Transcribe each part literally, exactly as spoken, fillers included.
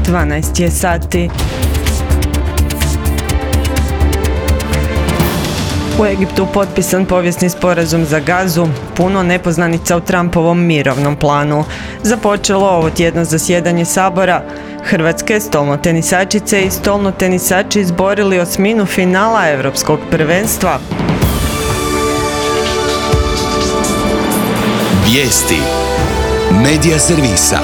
dvanaest je sati. U Egiptu potpisan povijesni sporazum za Gazu, puno nepoznanica u Trumpovom mirovnom planu. Započelo ovo tjedno zasjedanje Sabora. Hrvatske stolnotenisačice i stolnotenisači izborili osminu finala Europskog prvenstva. Vijesti Medija servisa.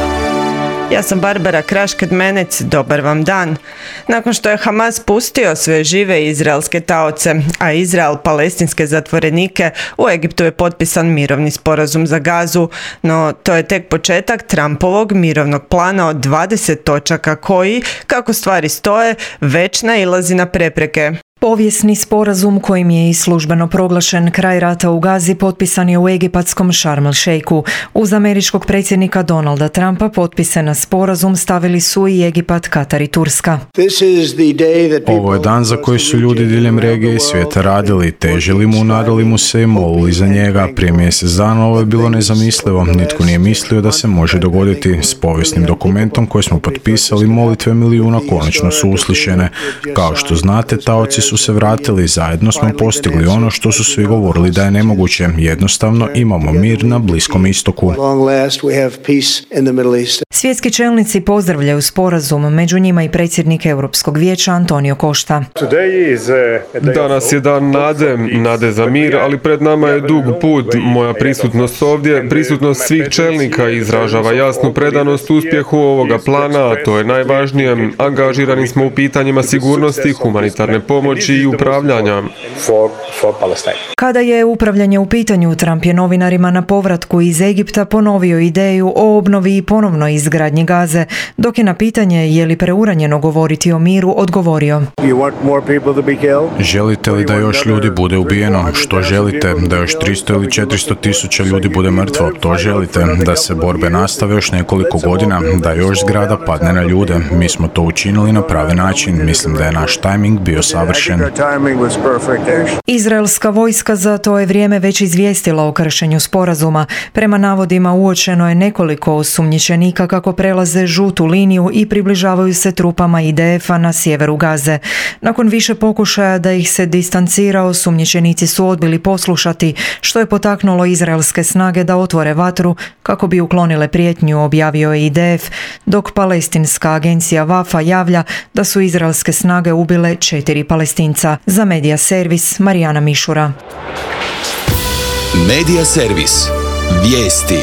Ja sam Barbara Krašked-Menec, dobar vam dan. Nakon što je Hamas pustio sve žive izraelske taoce, a Izrael palestinske zatvorenike, u Egiptu je potpisan mirovni sporazum za Gazu, no to je tek početak Trumpovog mirovnog plana od dvadeset točaka koji, kako stvari stoje, već nailazi na prepreke. Povijesni sporazum kojim je i službeno proglašen kraj rata u Gazi potpisan je u egipatskom Sharm el-Sheikhu. Uz američkog predsjednika Donalda Trumpa potpise na sporazum stavili su i Egipat, Katar i Turska. Ovo je dan za koji su ljudi diljem regije i svijeta radili, težili mu, nadali mu se i molili za njega. Prije mjesec dana ovo je bilo nezamislivo. Nitko nije mislio da se može dogoditi. S povijesnim dokumentom koji smo potpisali, molitve milijuna konačno su uslišene. Kao što znate, taoci su se vratili, zajedno smo postigli ono što su svi govorili da je nemoguće. Jednostavno imamo mir na Bliskom istoku. Svjetski čelnici pozdravljaju sporazum, među njima i predsjednik Europskog vijeća Antonio Costa. Danas je dan nade, nade za mir, ali pred nama je dug put. Moja prisutnost ovdje, prisutnost svih čelnika izražava jasnu predanost uspjehu ovoga plana, a to je najvažnije. Angažirani smo u pitanjima sigurnosti, humanitarne pomoći i upravljanja. Kada je upravljanje u pitanju, Trump je novinarima na povratku iz Egipta ponovio ideju o obnovi i ponovnoj izgradnji Gaze, dok je na pitanje je li preuranjeno govoriti o miru odgovorio: Želite li da još ljudi bude ubijeno? Što želite? Da još tristo ili četiristo tisuća ljudi bude mrtvo? To želite? Da se borbe nastave još nekoliko godina? Da još zgrada padne na ljude? Mi smo to učinili na pravi način. Mislim da je naš tajming bio savršen. Izraelska vojska za to je vrijeme već izvijestila o kršenju sporazuma. Prema navodima uočeno je nekoliko osumnjičenika kako prelaze žutu liniju i približavaju se trupama I D F-a na sjeveru Gaze. Nakon više pokušaja da ih se distancira, osumnjičenici su odbili poslušati, što je potaknulo izraelske snage da otvore vatru kako bi uklonile prijetnju, objavio je I D F, dok palestinska agencija Vafa javlja da su izraelske snage ubile četiri Palestinca. Za Medija servis Marijana Mišura. Medija servis. Vijesti.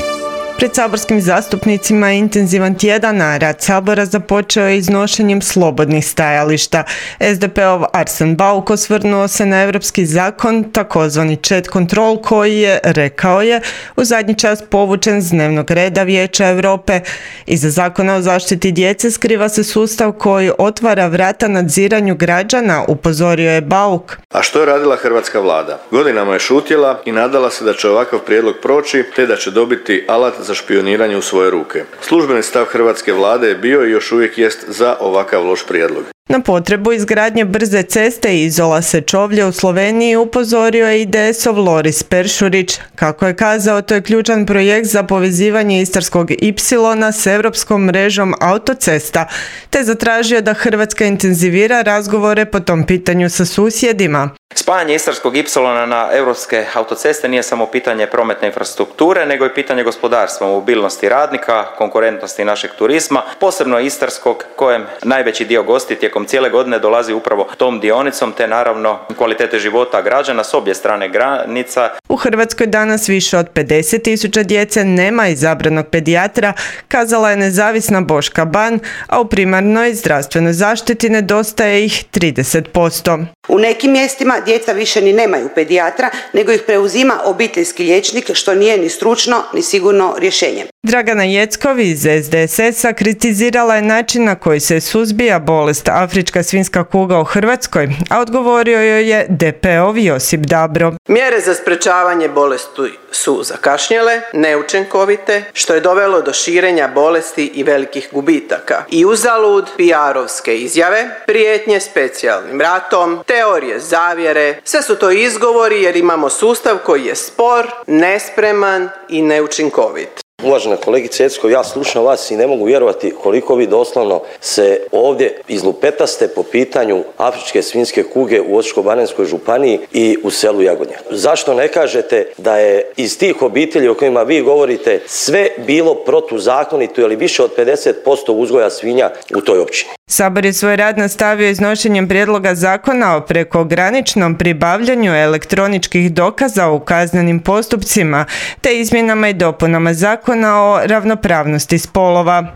Pred saborskim zastupnicima je intenzivan tjedan, a rad Sabora započeo je iznošenjem slobodnih stajališta. S D P-ov Arsen Bauk osvrnuo se na europski zakon, takozvani chat control, koji je, rekao je, u zadnji čas povučen s dnevnog reda Vijeća Europe. Iza zakona o zaštiti djece skriva se sustav koji otvara vrata nadziranju građana, upozorio je Bauk. A što je radila hrvatska vlada? Godinama je šutjela i nadala se da će ovakav prijedlog proći, te da će dobiti alat za špioniranje u svoje ruke. Službeni stav hrvatske vlade je bio i još uvijek jest za ovakav loš prijedlog. Na potrebu izgradnje brze ceste Izola Sečovlje u Sloveniji upozorio je I D S-ov Loris Peršurić. Kako je kazao, to je ključan projekt za povezivanje Istarskog ipsilona s europskom mrežom autocesta, te zatražio da Hrvatska intenzivira razgovore po tom pitanju sa susjedima. Spajanje Istarskog ipsilona na europske autoceste nije samo pitanje prometne infrastrukture, nego i pitanje gospodarstva, mobilnosti radnika, konkurentnosti našeg turizma, posebno Istarskog, kojem najveći dio gosti tijekom cijele godine dolazi upravo tom dionicom, te naravno kvalitete života građana s obje strane granica. U Hrvatskoj danas više od pedeset tisuća djece nema izabranog pedijatra, kazala je nezavisna Boška Ban, a u primarnoj zdravstvenoj zaštiti nedostaje ih trideset posto. U nekim mjestima djeca više ni nemaju pedijatra, nego ih preuzima obiteljski liječnik, što nije ni stručno ni sigurno rješenje. Dragana Jeckov iz S D S S-a kritizirala je način na koji se suzbija bolest afrička svinjska kuga u Hrvatskoj, a odgovorio joj je D P-ov Josip Dabro. Mjere za sprečavanje bolesti su zakašnjele, neučinkovite, što je dovelo do širenja bolesti i velikih gubitaka. I uzalud P R-ovske izjave, prijetnje specijalnim ratom, teorije zavjere, sve su to izgovori jer imamo sustav koji je spor, nespreman i neučinkovit. Uvažena kolegice Jeckov, ja slušam vas i ne mogu vjerovati koliko vi doslovno se ovdje izlupetaste po pitanju afričke svinjske kuge u Osječko-baranjskoj županiji i u selu Jagodnjak. Zašto ne kažete da je iz tih obitelji o kojima vi govorite sve bilo protuzakonito ili više od pedeset posto uzgoja svinja u toj općini? Sabor je svoj rad nastavio iznošenjem prijedloga zakona o prekograničnom pribavljanju elektroničkih dokaza u kaznenim postupcima te izmjenama i dopunama zakona o ravnopravnosti spolova.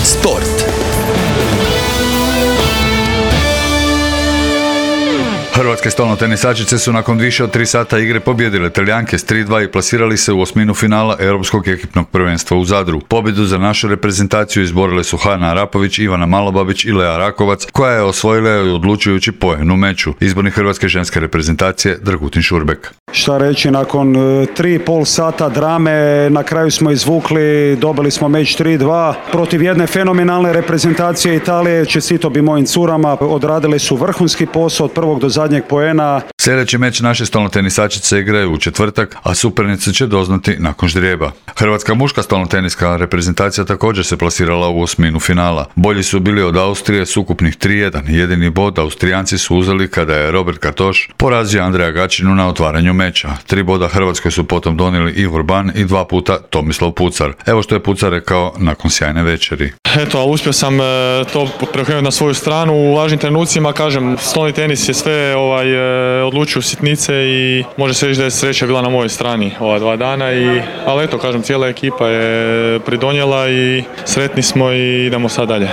Sport. Hrvatske stolnotenisačice su nakon više od tri sata igre pobijedile Talijanke s tri dva i plasirali se u osminu finala Europskog ekipnog prvenstva u Zadru. Pobjedu za našu reprezentaciju izborile su Hana Arapović, Ivana Malobabić i Lea Rakovac, koja je osvojila i odlučujući poen u meču. Izbornik hrvatske ženske reprezentacije Dragutin Šurbek. Šta reći, nakon tri i pol sata drame na kraju smo izvukli, dobili smo meč tri dva protiv jedne fenomenalne reprezentacije Italije. Čestito bi mojim curama, odradili su vrhunski posao od prvog do zadnjeg poena. Sljedeći meč naše stolnotenisačice igraju u četvrtak, a supernice će doznati nakon ždrijeba. Hrvatska muška stolnoteniska reprezentacija također se plasirala u osminu finala. Bolji su bili od Austrije s ukupnih tri jedan. Jedini bod Austrijanci su uzeli kada je Robert Kartoš porazio Andreja Gačinu na otvaranju meča. Tri boda Hrvatskoj su potom donijeli Ivor Ban i dva puta Tomislav Pucar. Evo što je Pucar rekao nakon sjajne večeri. Eto, ali uspio sam to preokrenuti na svoju stranu. U važnim trenucima, kažem, stolni tenis je sve ovaj, odlučio sitnice i može se reći da je sreća bila na mojoj strani ova dva dana. I, ali eto, kažem, cijela ekipa je pridonijela i sretni smo i idemo sad dalje.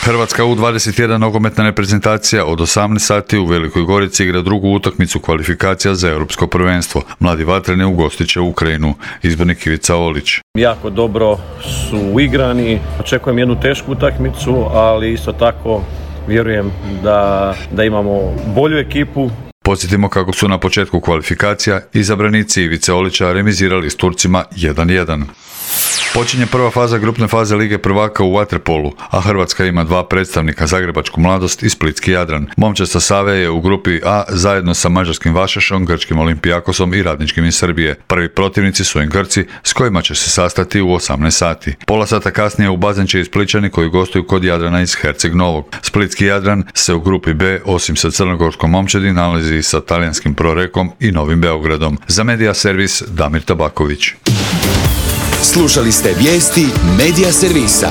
Hrvatska U dvadeset jedan nogometna reprezentacija od osamnaest sati u Velikoj Gorici igra drugu utakmicu kvalifikacija za europsko prvenstvo. Mladi vatreni ugostit će Ukrajinu. Izbornik Ivica Olić. Jako dobro su uigrani. Očekujem jednu tešku utakmicu, ali isto tako vjerujem da, da imamo bolju ekipu. Podsjetimo kako su na početku kvalifikacija izabranici Ivice Olića remizirali s Turcima jedan jedan. Počinje prva faza grupne faze Lige prvaka u vaterpolu, a Hrvatska ima dva predstavnika, Zagrebačku mladost i Splitski Jadran. Momčad Save je u grupi A zajedno sa mađarskim Vašešom, grčkim Olimpijakosom i Radničkim iz Srbije. Prvi protivnici su im Grci, s kojima će se sastati u osamnaest sati. Pola sata kasnije u bazen će i Splićani koji gostuju kod Jadrana iz Herceg Novog. Splitski Jadran se u grupi B, osim sa crnogorskom Momčadi, nalazi sa talijanskim Prorekom i Novim Beogradom. Za Medija servis Damir Tabaković. Slušali ste vijesti Medija servisa.